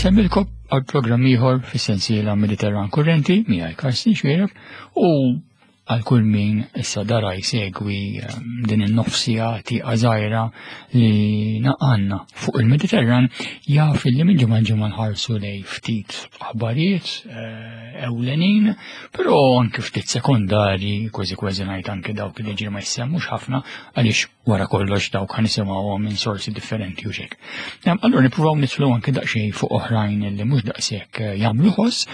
Insemmilkom għal programm ieħor fis-sensiela Mediterran Kurrenti miegħi Karsten Xwiereb u għal kull min issa dara jsegwi ehm, din in-nofsija tieqa żgħira li naqanna fuq il-Mediterran jaf li minn ġimgħa ġimgħa nħarsu lej ftit aħbarijiet eh, ewlenin, però anke ftit sekondari, kważi kważi ngħid anke dawk li ġiri ma jissemmux ħafna għaliex wara kollox dawk ħa nisimgħuhom minn sorsi differenti u xek. Allura nippruvaw nidħlu anke daqsxejn fuq oħrajn li mhux daqshekk eh, jagħmlu ħoss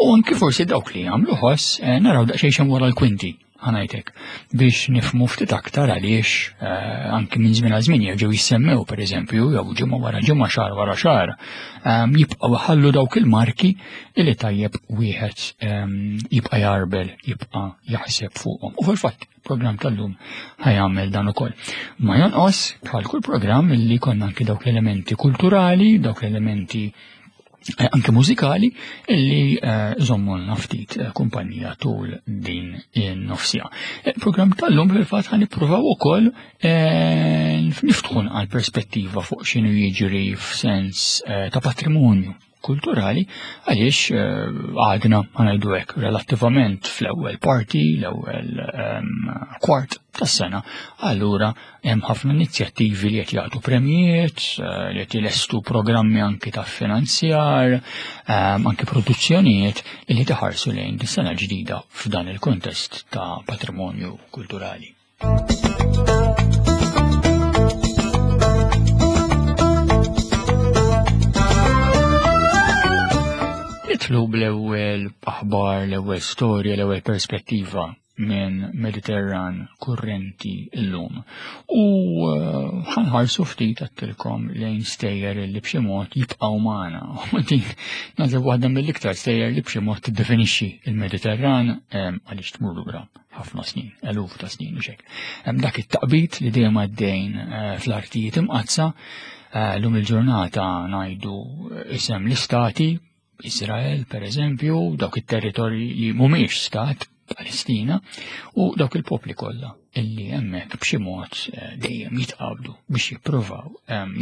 u anke forsi dawk li jagħmlu ħoss eh, naraw daqsxejn xemm wara l-kwinti ħanajtek biex nifmu ftit aktar għaliex eh, anke minn żmien għal żmien jerġgħu jissemmew pereżempju jew ġimgħa wara ġimgħa xahar wara xahar ehm, jibqgħu ħallu dawk il-marki li tajjeb wieħed ehm, jibqa' jarbel jibqa' jaħseb fuqhom. U fil-fatt Program tal-lum ħajamel dan ukoll. Ma jonqos bħal kull programm li konna anki dawk l-elementi kulturali, dawk l-elementi eh, anke mużikali illi eh, żommulna ftit eh, kumpanija tul din in-nofsija. Il-programm tal-lum fil-fatt ħan nippruvaw ukoll niftħu għal perspettiva fuq x'inhu jiġri f'sens ta' patrimonju kulturali għaliex eh, għadna ngħidu hekk relattivament fl-ewwel parti, l-ewwel ehm, kwart tas-sena, allura hemm ħafna inizjattivi li qed jagħtu premjiet, eh, li qed jilestu programmi anki ta' finanzjar, ehm, anki produzzjonijiet li taħarsu lejn dis-sena ġdida f'dan il-kontest ta' patrimonju kulturali. Nitlu bl-ewwel aħbar, l-ewwel storja, l-ewwel perspettiva minn Mediterran kurrenti llum. U eh, ħanħarsu ftit għattilkom lejn stejjer li b'xi mod jibqgħu magħna. U din naħseb waħda mill-iktar stejjer li b'xi mod tiddefinixxi il-Mediterran eh, għaliex tmur lura ħafna snin, eluf ta' snin u xek. Hemm dak it-taqbid li dejjem għaddejn eh, fl-artijiet imqaddsa, eh, lum il-ġurnata ngħidu eh, isem l-istati, Izrael per eżempju, dawk it-territorji li mhumiex stat, Palestina, u dawk il-popli kollha illi hemmhekk b'xi mod dejjem jitqabdu biex jippruvaw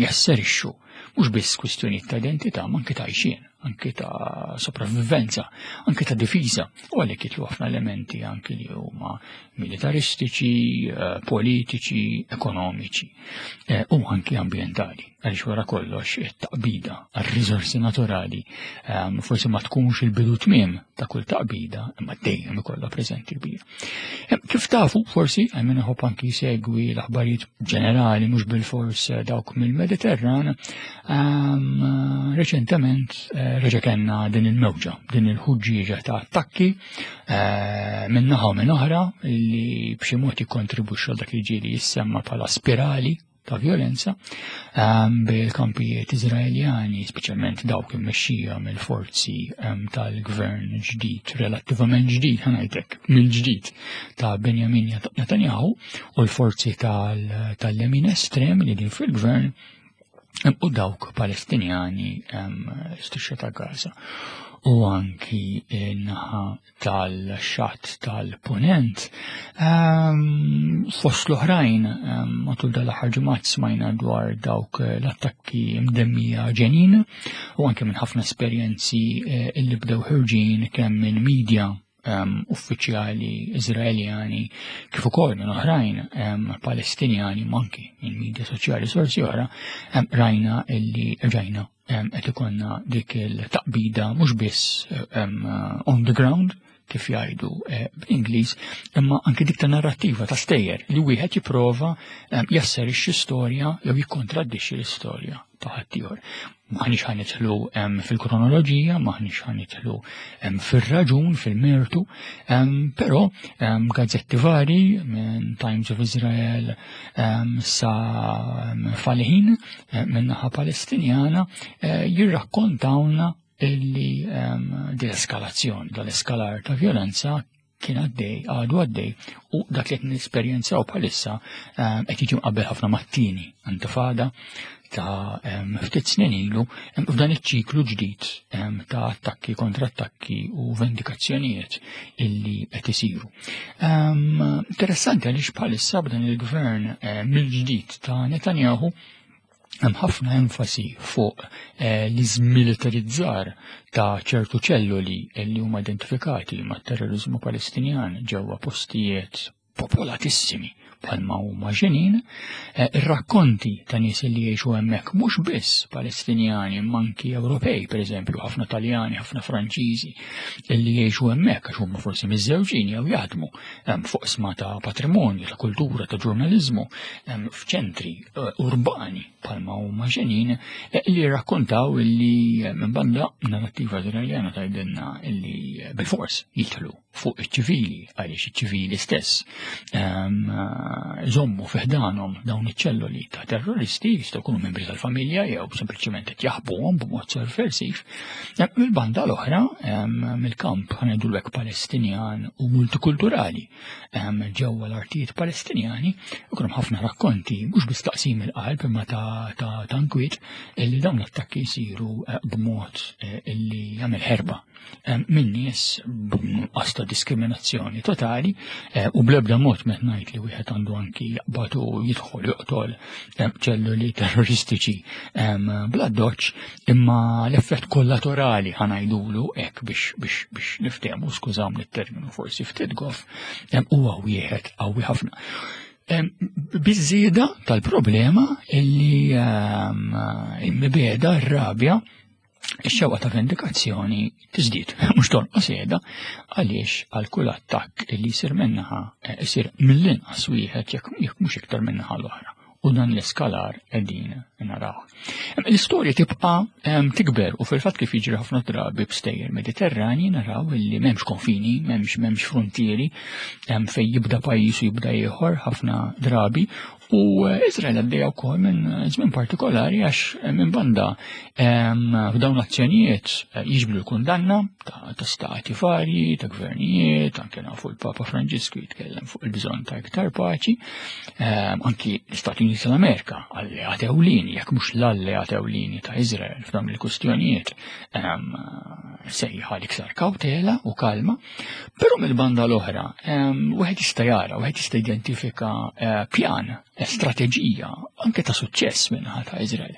jasserixxu mhux biss kwistjonijiet ta' identità ma anke ta' għajxien, anke ta' sopravvivenza, anke ta' difiża, u għalhekk jitlu ħafna elementi anke li huma militaristiċi, eh, politiċi, ekonomiċi eh, u anke ambjentali. Għaliex wara kollox it-taqbida għar-riżorsi naturali eh, forsi ma tkunx il-bidu tmiem ta' kull taqbida imma dejjem ikollha preżenti kbira. Kif tafu, forsi, għajmin iħobb anki jsegwi l-aħbarijiet ġenerali, mhux bil-fors eh, dawk mill-Mediterran, ehm, reċentement eh, reġa' kellna din il-mewġa, din il-ħuġġieġa ta' attakki eh, minn naħa u minn oħra li b'xi mod jikkontribwixxu dak li ġieli jissemma bħala spirali ta' violenza ehm, bil-kampijiet Izraeljani, speċjalment dawk immexxija mill-forzi ehm, tal-gvern ġdid, relattivament ġdid, ħanajtek, mill-ġdid ta' Benjamin Netanyahu u l-forzi tal-lemin estrem li din fil-gvern ehm, u dawk Palestinjani strisċa ta' Gaza u anki naħa tal-xatt tal-punent. Ehm, fost l-oħrajn, ehm, matul dal-aħħar ġimgħat smajna dwar dawk l-attakki mdemmija ġenin u anke minn ħafna esperjenzi eh, illi bdew ħirġin kemm minn media ehm, uffiċjali Izraeljani kif ukoll minn oħrajn Palestinjani u anki minn media soċjali sorsi oħra rajna illi rajna qed ikollna dik il-taqbida mhux biss on the ground kif jgħidu eh, bl-Ingliż, imma anke dik ta' narrattiva ta' stejjer li wieħed jipprova jasserixxi storja jew jikkontraddixxi l-istorja ta' ħaddieħor. Maħniex ħa nidħlu fil-kronoloġija, maħniex ħa nidħlu fir-raġun, fil-mertu, però gazzetti vari minn Times of Israel sa Falihin eh, min-naħa Palestinjana eh, jirrakkontawna illi ehm, dil-eskalazzjoni, dal-eskalar ta' violenza kien għaddej, għadu għaddej, u dak li qed nesperjenzaw bħalissa ehm, qed jiġi mqabbel ħafna mat-tieni intifada ta' ehm, ftit snin ilu f'dan iċ-ċiklu ġdid ta' attakki kontra attakki u vendikazzjonijiet illi qed isiru. Interessanti għaliex bħalissa b'dan il-gvern eh, mill-ġdid ta' Netanyahu. Hemm ħafna enfasi fuq eh, l-iżmilitarizzar ta' ċertu ċelluli li huma identifikati mat-terrorizmu Palestinjan ġewwa postijiet popolatissimi bħalma huma Ġenin, eh, ir-rakkonti ta' nies li jgħixu hemmhekk mhux biss Palestinjani imma anki Ewropej, pereżempju, ħafna Taljani, ħafna Franċiżi li jgħixu hemmhekk għax huma forsi miżżewġin jew jaħdmu fuq sma ta' patrimonju, ta' kultura, ta' ġurnaliżmu, f'ċentri eh, urbani bħalma huma Ġenin eh, li rakkontaw illi minn banda narrattiva Iżraeljana tgħidilna illi bil-fors jidħlu fuq iċ-ċivili għaliex iċ-ċivili stess ehm, iżommu fi ħdanhom dawn iċ-ċelloli ta' terroristi jistgħu jkunu membri tal-familja jew sempliċement qed jaħbuhom b'mod sovversiv. Ehm, mill-banda l-oħra ehm, mill-kamp ħanejdu l Palestinjan u multikulturali ġewwa l-artijiet Palestinjani ikun hemm ħafna rakkonti mhux biss taqsim il-qalb imma ta' tankwiet illi dawn l-attakki jsiru eh, b'mod eh, illi jagħmel ħerba minn nies b'nuqqas ta' diskriminazzjoni totali eh, u bl-ebda mod met ngħid li wieħed għandu anki jaqbad u jidħol joqtol ċelluli terroristiċi bla doċ imma l-effett kollaterali ħanajdulu hekk biex biex biex niftehmu skużawni t-terminu forsi ftit goff huwa wieħed qawwi ħafna. Biżieda tal-problema illi il-mibeda, r-rabja, ix-xewqa ta' vendikazzjoni tiżdied, mhux tonqos qiegħda għaliex għal kull attakk li jsir minnaħa eh, isir mill-inqas wieħed jekk mhux iktar minnaħa l-oħra. U dan l-eskalar qegħdin naraw. L-istorja tibqa' tikber u fil-fatt kif jiġri ħafna drabi b'stejjer Mediterrani naraw li m'hemmx konfini, m'hemmx m'hemmx frontieri fejn jibda pajjiż u jibda ieħor ħafna drabi U eh, Izrael għaddejja wkoll minn żmien partikolari għax eh, minn banda f'dawn l-azzjonijiet eh, jiġbdu l-kundanna ta' stati varji, ta' gvernijiet, anke nafu l-Papa Franġisku jitkellem fuq il-bżonn ta' iktar paċi, anki l-Istati Uniti tal-Amerika alleat ewlieni, jekk mhux l-alleat ewlieni ta' Izrael f'dawn il-kustjonijiet sejħa l-iktar kawtela u kalma. Però mill-banda l-oħra, wieħed jista' jara, wieħed jista' identifika eh, pjan, eh, strateġija, anke ta' suċċess minnaħa ta' Izrael.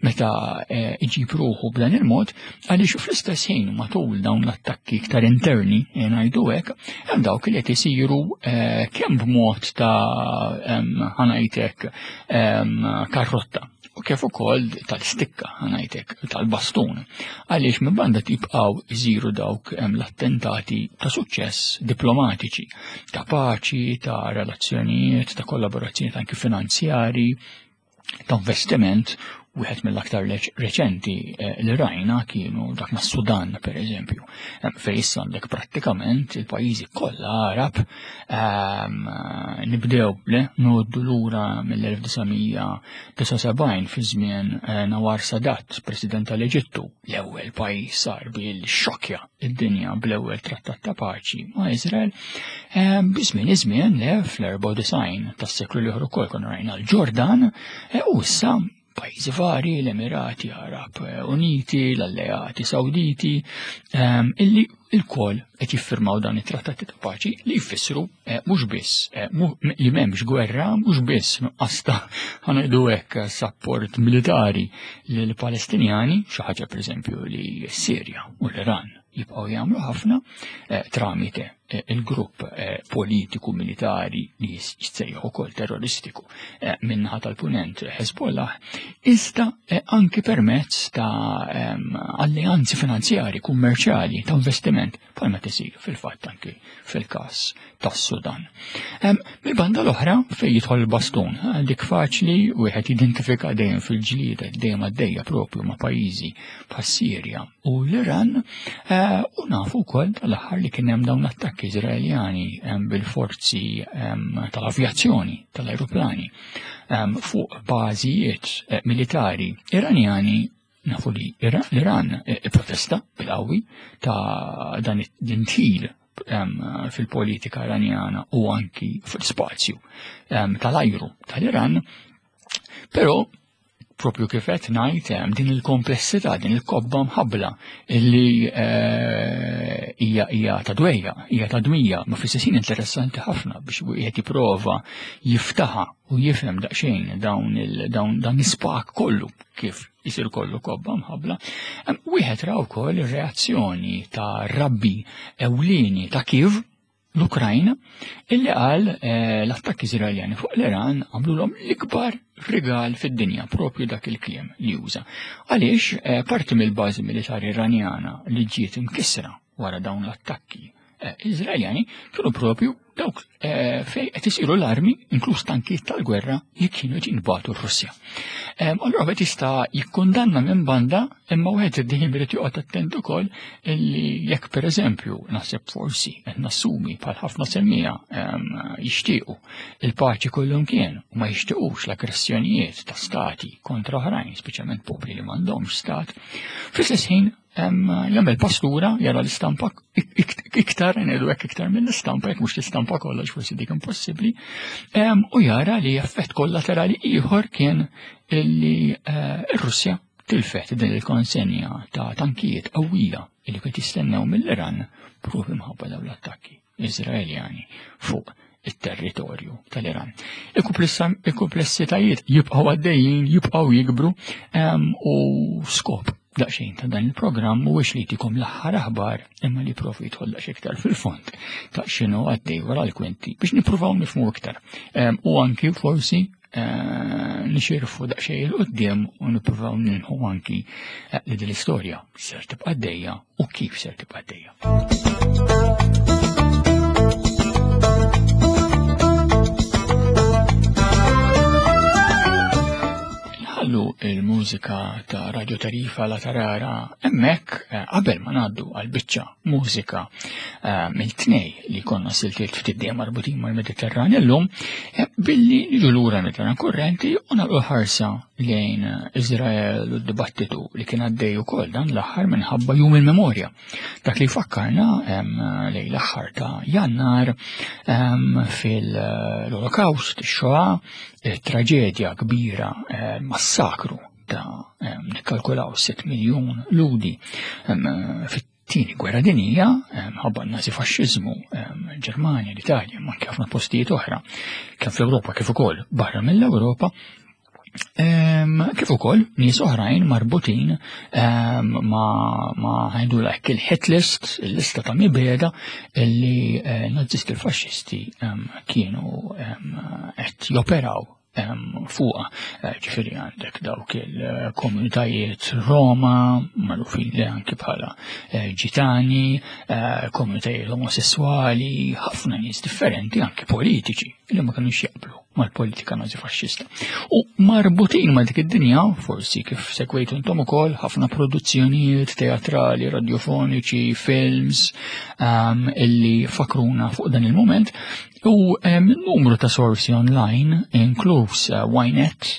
Meta eh, iġib ruħu b'dan il-mod, għaliex fl-istess ħin matul dawn l-attakki iktar interni, ngħidu hekk, hemm dawk li qed isiru kemm b'mod ta' ħanajtek karrotta u kif ukoll tal-stikka ngħidlek tal-bastun. Għaliex minn banda tibqgħu jżiru dawk l-attentati ta' suċċess diplomatiċi, ta' paċi, ta' relazzjonijiet, ta' kollaborazzjonijiet anki finanzjari, ta' investiment wieħed mill-aktar reċenti eh, li rajna kienu dak mas Sudan per eżempju, fejn issa għandek prattikament il-pajjiżi kollha Arab ehm, nibdew le noddu lura mill-1979 fi żmien eh, Nawar Sadat, President tal-Eġittu, l-ewwel pajjiż sar bil xokja id-dinja bl-ewwel trattat ta' paċi ma' Izrael, ehm, biżmien iż-żmien le fl-94 tas-seklu l-ieħor ukoll konna rajna l-Ġordan eh, u issa pajjiżi vari, l-Emirati Arab Uniti, l-Alleati Sawditi, ehm, illi il-kol qed jiffirmaw dan it-trattati ta' paċi li jfissru eh, mhux biss eh, li m'hemmx gwerra, mhux biss nuqqas ta' ħanqdu hekk sapport militari lill Palestinjani, xi ħaġa pereżempju li s-Sirja u l-Iran jibqgħu jagħmlu ħafna eh, tramite eh, il-grupp eh, politiku militari li jissejjaħ ukoll terroristiku minnaħa tal-punent Hezbollah, iżda anki permezz ta' ehm, alleanzi finanzjari, kummerċjali, ta' investiment bħalma tisir fil-fatt anki fil-każ tas-Sudan. Mill-banda l-oħra fejn jidħol il-bastun, dik faċli wieħed jidentifika dejjem fil-ġlieda dejjem għaddejja propju ma' pajjiżi bħas-Sirja u l-Iran eh, u nafu wkoll tal-aħħar li kien hemm dawn l-attakki Iżraeljani bil-forzi tal-avjazzjoni tal-ajruplani fuq bażijiet eh, militari Iranjani. Nafu li l-Iran eh, protesta bil-qawwi ta' dan id-dintil fil-politika iranjana u anki fil-spazju tal-ajru tal-Iran, però propju kif qed ngħid hemm din il-komplessità, din il-kobba mħabbla illi eh, hija hija ta' dwejja, hija ta' dmija, ma fl-istess ħin interessanti ħafna biex wieħed jipprova jiftaħa u jifhem daqsxejn dawn dawn dan l-ispak kollu kif isir kollu kobba mħabla. Wieħed ra wkoll ir-reazzjoni ta' rabbi ewlieni ta' Kiev l-Ukrajna illi qal eh, l-attakki Iżraeljani fuq l-Iran għamlulhom l-ikbar rigal fid-dinja propju dak il-kliem li juża. Għaliex eh, parti mill-bażi militari Iranjana li ġiet imkissra wara dawn l-attakki eh, Iżraeljani kienu propju dawk eh, fej qed isiru l-armi, inkluż tankijiet tal-gwerra, li kienu qed jinbagħtu r-Russja. Allura wieħed jista' jikkundanna minn banda, imma wieħed dejjem irid joqgħod attent ukoll li jekk pereżempju naħseb forsi qed nassumi bħal ħafna semmija jixtiequ il-paċi kollhom kien u ma jixtiequx l-aggressjonijiet ta' stati kontra oħrajn, speċjalment popli li m'għandhomx stat, fl-istess ħin jagħmel pastura jara l-istampa iktar ngħidu hekk iktar mill-istampa jekk mhux l-istampa kollha forsi dik impossibbli u jara li effett kollaterali ieħor kien li eh, r-Russja tilfet din il-konsenja ta' tankijiet qawwija li kien jistennew mill-Iran propju mħabba dawn l-attakki. Iżraeljani fuq it-territorju tal-Iran. Il-kumplessitajiet jibqgħu għaddejjin, jibqgħu jikbru u skop daqsxejn ta' dan il-programm mhuwiex li jtikom l-aħħar aħbar imma li profi jidħol daqsxejn iktar fil-fond ta' x'inhu għaddej wara l-kwinti biex nippruvaw nifhmu iktar. U anki forsi eh, nixirfu daqsxejn il qudiem u nippruvaw nilħu anki eh, li din l-istorja ser tibqa' dejja u kif ser tibqa' dejja. Nħallu il-mużika ta' Radio Tarifa la Tarara hemmhekk eh, qabel ma ngħaddu għal biċċa mużika eh, mill-tnej li konna siltiet ftit dejjem marbutin mal-Mediterran illum eh, billi niġu lura Mediterran kurrenti u nagħlqu ħarsa lejn Izrael u d-dibattitu li kien għaddej ukoll dan l-aħħar minħabba jum il-memorja. Dak li fakkarna lejn l-aħħar ta' Jannar fil-Olokawst, ix-Xoa, traġedja kbira, eh, massakru ta' nikkalkulaw 6 miljun ludi fit-tieni gwerra dinija, ħabba n-nazi faxxiżmu, Ġermanja, l-Italja, ma anke ħafna postijiet oħra, kemm fl-Ewropa kif ukoll barra mill-Ewropa, kif ukoll nies oħrajn marbutin ma ma ħajdu hekk il-hit list, il-lista ta' mibeda li eh, nazisti l-faxxisti kienu qed joperaw fuqa. Eh, ġifieri għandek dawk il-komunitajiet Roma, magħrufin li anki bħala eh, ġitani, eh, komunitajiet omosessuali, ħafna nies differenti anki politiċi li ma kinux jaqblu mal-politika nazi-faxxista. U marbutin ma' dik id-dinja, forsi kif segwejtu intom ukoll ħafna produzzjonijiet teatrali, radiofoniċi, films um, illi fakruna fuq dan il-moment, U numru ta' sorsi online, inkluż eh, Ynet,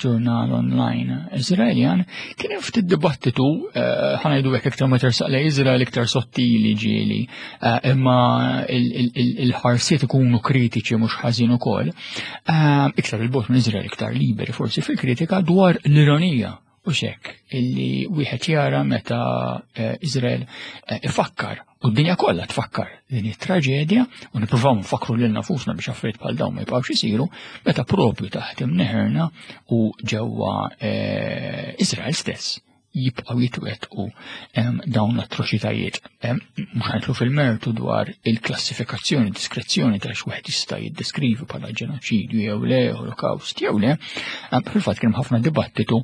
ġurnal online Izraeljan, kien hemm ftit dibattitu eh, ħanajdu hekk iktar ma tersaq lej Izrael iktar sottili ġieli, eh, imma il-ħarsiet ikunu kritiċi mhux ħażin ukoll. Iktar il-bot minn Izrael iktar liberi forsi fil-kritika dwar l-ironija U xek, illi wieħed jara meta eh, Izrael eh, ifakkar u d-dinja kollha tfakkar din it-traġedja u nippruvaw nfakkru lil nafusna biex affarijiet bħal dawn ma jibqgħux isiru meta propju taħt imneħerna u ġewwa eh, Izrael stess jibqgħu jitwettqu dawn l-atroċitajiet. Mhux ħajtlu fil-mertu dwar il-klassifikazzjoni, diskrezzjoni ta' x'wieħed jista' jiddeskrivi bħala ġenoċidju jew le, holocaust jew le, fil-fatt kien ħafna dibattitu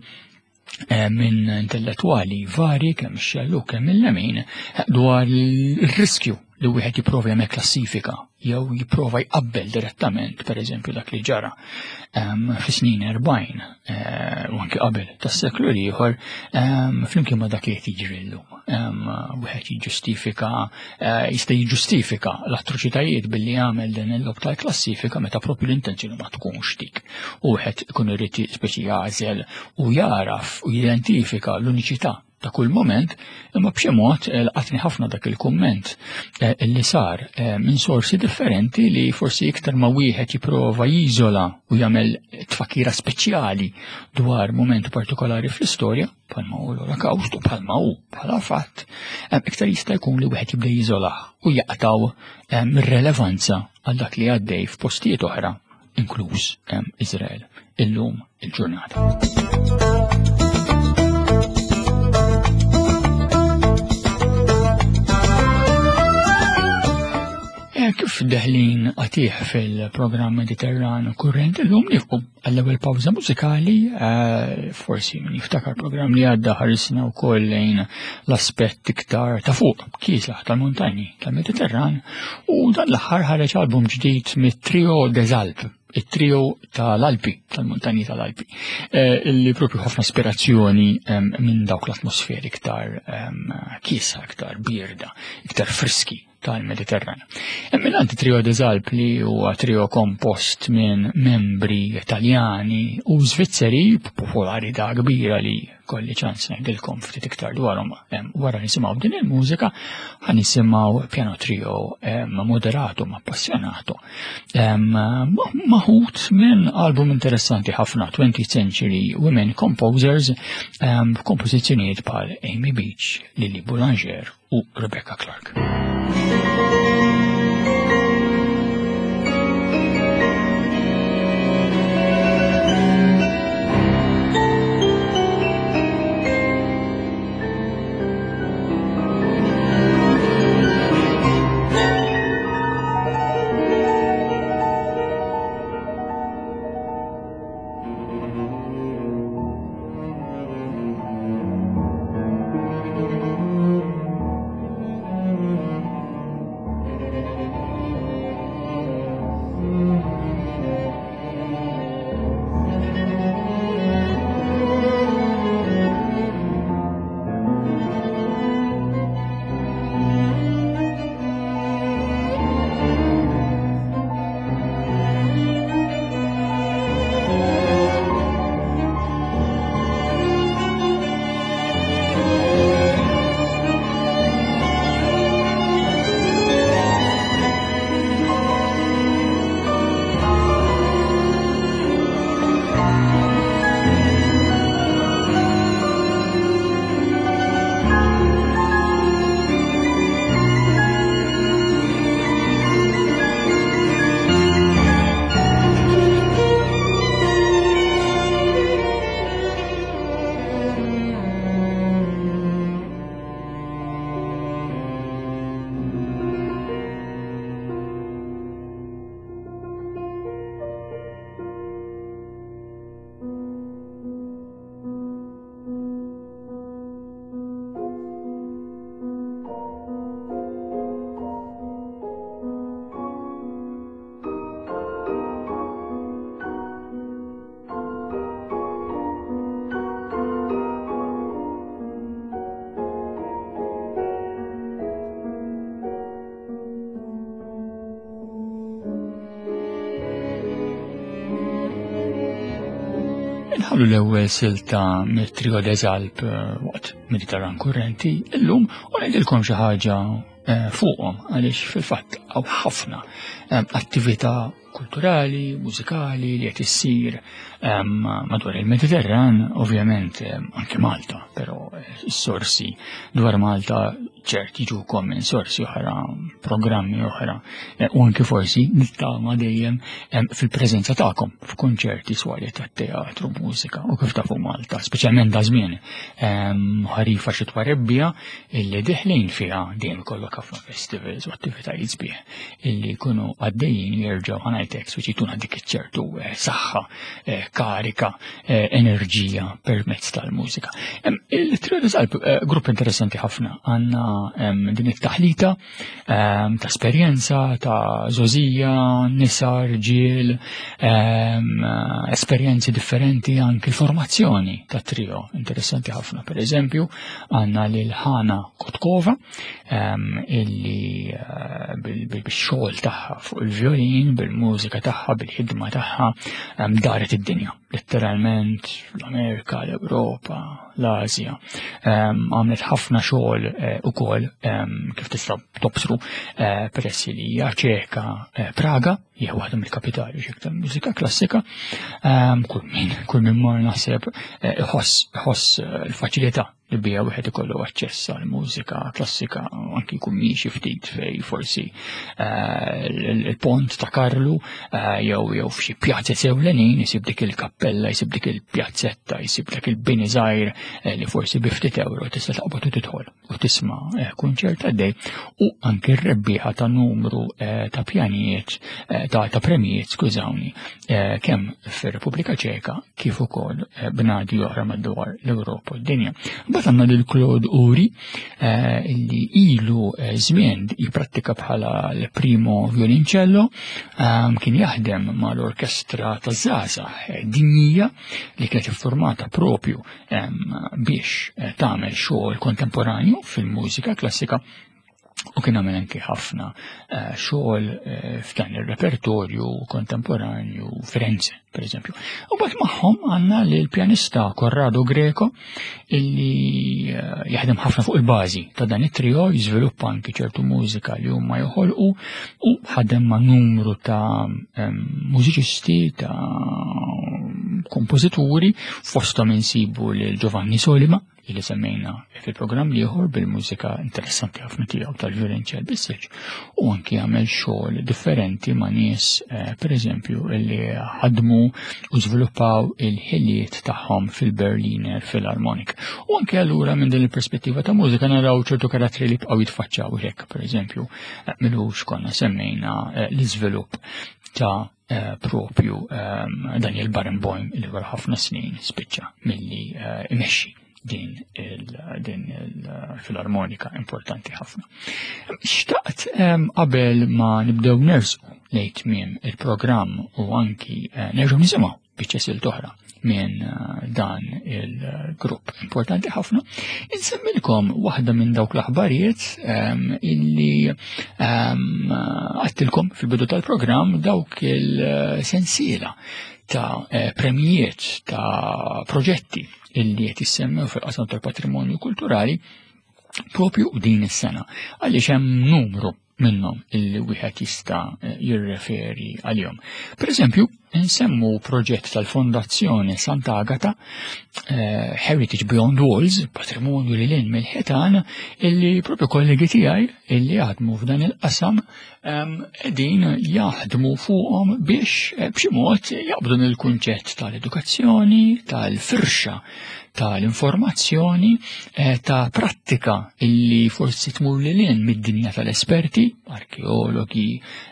eh, minn intellettwali vari kemm xellu kemm il-lemin dwar il-riskju li wieħed jipprova jagħmel klassifika jew jipprova jqabbel direttament pereżempju dak li ġara ehm, fis-snin 40 eh, u anki qabel tas-seklu ieħor ehm, flimkien ma' dak li qed jiġri llum. Ehm, wieħed jiġġustifika eh, jista' jiġġustifika l-atroċitajiet billi jagħmel din il-lob tal-klassifika meta propju l-intenzjoni ma tkunx dik. U wieħed ikun irid speċi jagħżel u jaraf u jidentifika l-uniċità ta' kull moment, imma b'xi mod eh, laqatni ħafna dak il-kumment eh, li sar eh, minn sorsi differenti li forsi iktar ma wieħed jipprova jiżola u jagħmel tfakira speċjali dwar moment partikolari fl-istorja, bħalma hu l-Olokawst u bħalma hu bħala fatt, iktar jista' jkun li wieħed jibda jiżolah u jaqtaw mir-relevanza għal dak li għaddej f'postijiet oħra inkluż Izrael illum il-ġurnata. Eh, kif deħlin għatih fil-programm Mediterran kurrent illum nifqu għall-ewwel pawża mużikali, eh, forsi min jiftakar programm li għadda ħarisna wkoll lejn l-aspett iktar ta' fuq kiesaħ tal-muntanji tal-Mediterran u dan l-aħħar ħareġ album ġdid mit-Trio des Alpes, it-trio tal-Alpi, tal-muntanji tal-Alpi, eh, illi propju ħafna ispirazzjoni minn dawk l-atmosferi iktar kiesa, iktar birda, iktar friski tal-Mediterran. Hemm trio des Alp li huwa trio kompost minn membri Italjani u Svizzeri b'popolarità kbira li kolli ċans ngħidilkom ftit iktar dwarhom wara nisimgħu din il-mużika ħa nisimgħu piano trio moderato ma appassionato maħut minn album interessanti ħafna 20th Century Women Composers kompożizzjonijiet bħal Amy Beach, Lily Boulanger u Rebecca Clark. Inħallu l-ewwel silta mit-Trio des Alp eh, waqt Mediterran Kurrenti illum u ngħidilkom xi ħaġa eh, fuqhom għaliex fil-fatt hawn ħafna eh, attività kulturali, mużikali li qed issir madwar il-Mediterran, ovvjament anke Malta, però s-sorsi dwar Malta ċert jiġukom minn sorsi oħra, programmi oħra, eh, u anke forsi nittama dejjem fil-preżenza tagħkom f'konċerti swali tat-teatru, mużika u kif tafu Malta, speċjalment da żmien ħarifa xitwa rebbija illi diħlin fiha dejjem ikollok ħafna festivals u attivitajiet sbieħ illi jkunu għaddejjin jerġgħu ħanajtek speċi jtuna dik iċ-ċertu eh, saħħa, eh, karika, eh, enerġija permezz tal-mużika. Il-Trio Alp grupp interessanti ħafna għandna din it-taħlita ta' esperjenza, ta' żożija, nisa, rġiel, esperjenzi differenti anki l-formazzjoni ta' trio interessanti ħafna. Per eżempju, għandna lil Ħana Kotkova illi eh, bil-xogħol tagħha fuq il-violin, bil-mużika, bil-mużika tagħha, bil-ħidma tagħha daret id-dinja, letteralment l-Amerika, l-Ewropa, l-Asja. Għamlet ħafna xogħol eh, ukoll kif tista' tobsru eh, peress li hija ċeka eh, Praga, hija waħda mill-kapitali xek tal-mużika klassika. Kull min kull min mar naħseb iħoss l-faċilità li bija wieħed ikollu aċċess għal mużika klassika anki jkun miexi ftit fej forsi eh, il-pont ta' Karlu eh, jew jew f'xi pjazza sewlenin isib dik il-kappella, isib dik il-pjazzetta, isib dak il-bini żgħir eh, li forsi bi ftit euro tista' taqbad u tidħol u tisma' kunċert għaddej u anki r-rebbieħa ta' numru ta' pjanijiet ta' premijiet skużawni kemm fir-Repubblika Ċeka kif ukoll eh, bnadi oħra madwar l-Ewropa u d-dinja. Mbagħad għandna lil Claude Uri eh, li ilu eh, żmien jipprattika bħala l-primo violincello, ehm, kien jaħdem mal-orkestra taż-żgħażagħ dinjija li kienet iffurmata propju ehm, biex tagħmel xogħol kontemporanju fil-mużika klassika u kien għamel anki ħafna eh, xogħol eh, f'dan ir-repertorju kontemporanju Firenze, per eżempju. U bat magħhom għandna l-pjanista Corrado Greco illi eh, jaħdem ħafna fuq il-bażi ta' dan it-trio, jiżviluppa anki ċertu mużika li huma joħolqu u ħadem ma' numru ta' mużiċisti, ta' kompożituri, fosthom insibu lil Giovanni Solima, li semmejna fil-programm liħor bil-mużika interessanti ħafna tiegħu tal-violinċell bis-silġ u anki għamel xogħol differenti ma' nies eh, pereżempju li ħadmu u żviluppaw il-ħiliet tagħhom fil-Berliner Philharmonic. U anki allura minn din il-perspettiva ta' mużika naraw ċertu karattri li bqgħu jitfaċċaw hekk, pereżempju, eh, milux konna semmejna eh, l-iżvilupp ta' Eh, propju ehm, Daniel Barenboim li wara ħafna snin spiċċa milli eh, imexxi din il-filarmonika importanti ħafna. Xtaqt ehm, qabel ma nibdew nersqu lejn tmiem il-programm u anki eh, nerġgħu nisimgħu biċċa silt oħra minn eh, dan il-grupp importanti ħafna. Insemmilkom waħda minn dawk l-aħbarijiet ehm, illi ehm, għattilkom fil-bidu tal-programm dawk il-sensiela ta' eh, premijiet ta' proġetti illi qed jissemmew fil-qasam tal-patrimonju kulturali propju din is-sena għaliex hemm numru minnhom illi wieħed jista' eh, jirreferi għalihom. Per eżempju, nsemmu proġett tal-Fondazzjoni Sant'Agata eh, Heritage Beyond Walls, patrimonju li lin mill-ħitan, illi propju kollegi tiegħi illi jaħdmu f'dan il-qasam ehm, qegħdin jaħdmu fuqhom biex eh, b'xi mod jaqbdu il-kunċett tal-edukazzjoni, tal-firxa tal-informazzjoni eh, ta' prattika illi forsi tmur lil hinn mid-dinja tal-esperti, arkeologi,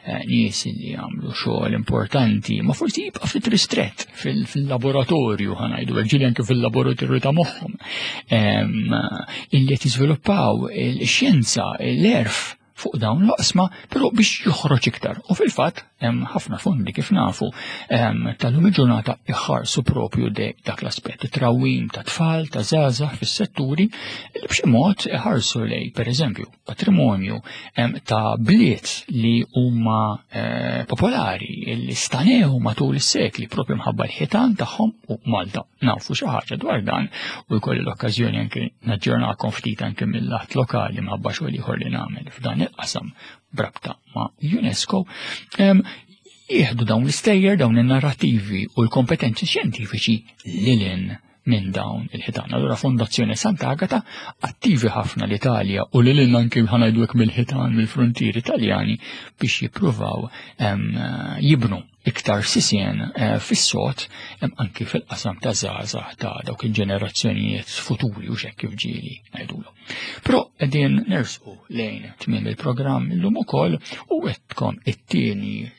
eh, nies li jagħmlu xogħol importanti, ma forsi jibqa' ftit ristrett fil-laboratorju ħanajdu ġieli anke fil-laboratorju ta' moħħhom illi qed jiżviluppaw il-xjenza, l-erf fuq dawn l-oqsma, però biex joħroġ iktar. U fil-fatt hemm ħafna fondi kif nafu tal-lum il-ġurnata iħarsu propju dak l-aspett, trawim ta' tfal, ta' żgħażagħ fis-setturi li b'xi mod iħarsu lej, pereżempju, patrimonju ta' bliet li huma eh, popolari, li stanew matul is-sekli propju mħabba l-ħitan tagħhom u Malta nafu xi ħaġa dwar dan u jkolli l-okkażjoni anke naġġornakom ftit anke mill-lat lokali mħabba xogħol ieħor li nagħmel f'dan il-qasam brabta ma' UNESCO. Jieħdu dawn l-istejjer, dawn in-narrativi u l-kompetenzi xjentifiċi lilin minn dawn il-ħitan. Allura Fondazzjoni Sant'Agata attivi ħafna l-Italja u lilin anke ħanajdu mill-ħitan mill-frontieri Italjani biex jippruvaw jibnu iktar sisien eh, fis-sod anki fil-qasam ta' żgħażagħ ta' dawk il-ġenerazzjonijiet futuri u xekk kif ġieli ngħidulhom. Però qegħdin nersqu lejn tmiem il-programm illum ukoll u wettkom it-tieni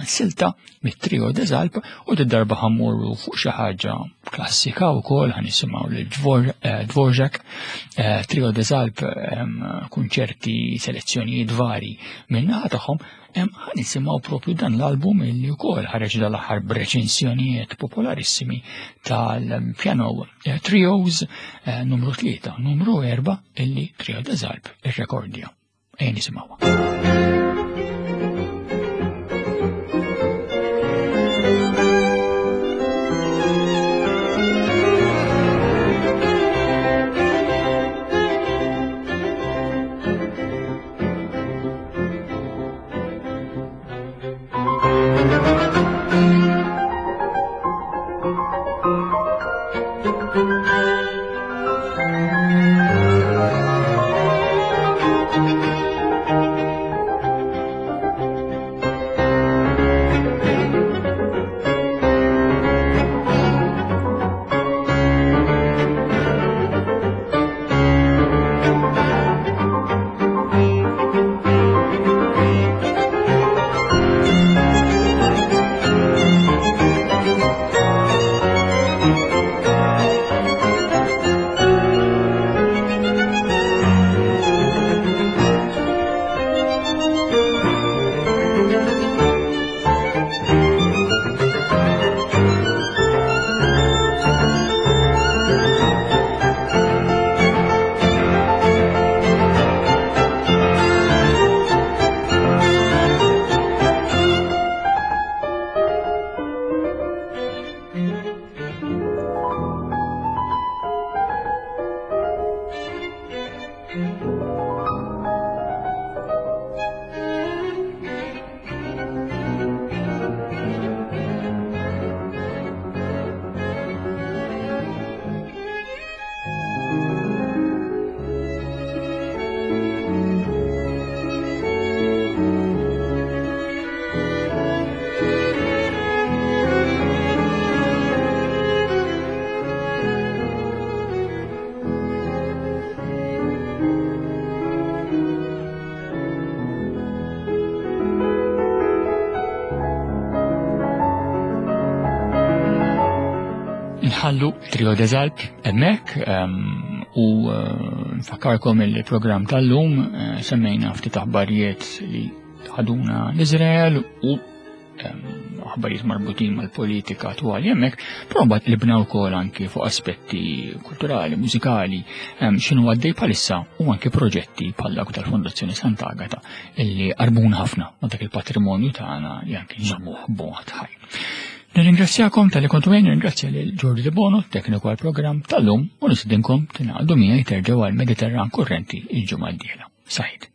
silta mit-trio Desalp u d-darba ħammurru fuq xi ħaġa klassika wkoll ħanisimgħu lil eh, Dvorak, eh, trio Desalp kunċerti selezzjonijiet vari min-naħa tagħhom Ħa nisimgħu propju dan l-album illi wkoll ħareġ dal-aħħar b'reċensjonijiet popolarissimi tal-piano eh, trios eh, numru 3, numru 4 illi Trio Desalp irrekordja. Ejja nisimgħuha. Inħallu Trio des Alpes hemmhekk u eh, nfakkarkom il-programm tal-lum eh, semmejna ftit aħbarijiet li ħaduna l-Iżrael u aħbarijiet marbutin mal-politika attwali hemmhekk, però mbagħad libna wkoll anki fuq aspetti kulturali, mużikali, x'inhu għaddej bħalissa u anki proġetti bħal dawk tal-Fondazzjoni Sant'Agata illi qarbuna ħafna ma' dak il-patrimonju tagħna li anki nżommuh b'mod ħaj. Nirringrazzjakom tal-li kontu għajn, nirringrazzja lil Giorgio De Bono, tekniku għal-programm tal-lum, u nistidinkom tingħaqdu miegħi terġgħu għal Mediterran Kurrenti il-ġimgħa d-dieħla. Saħid.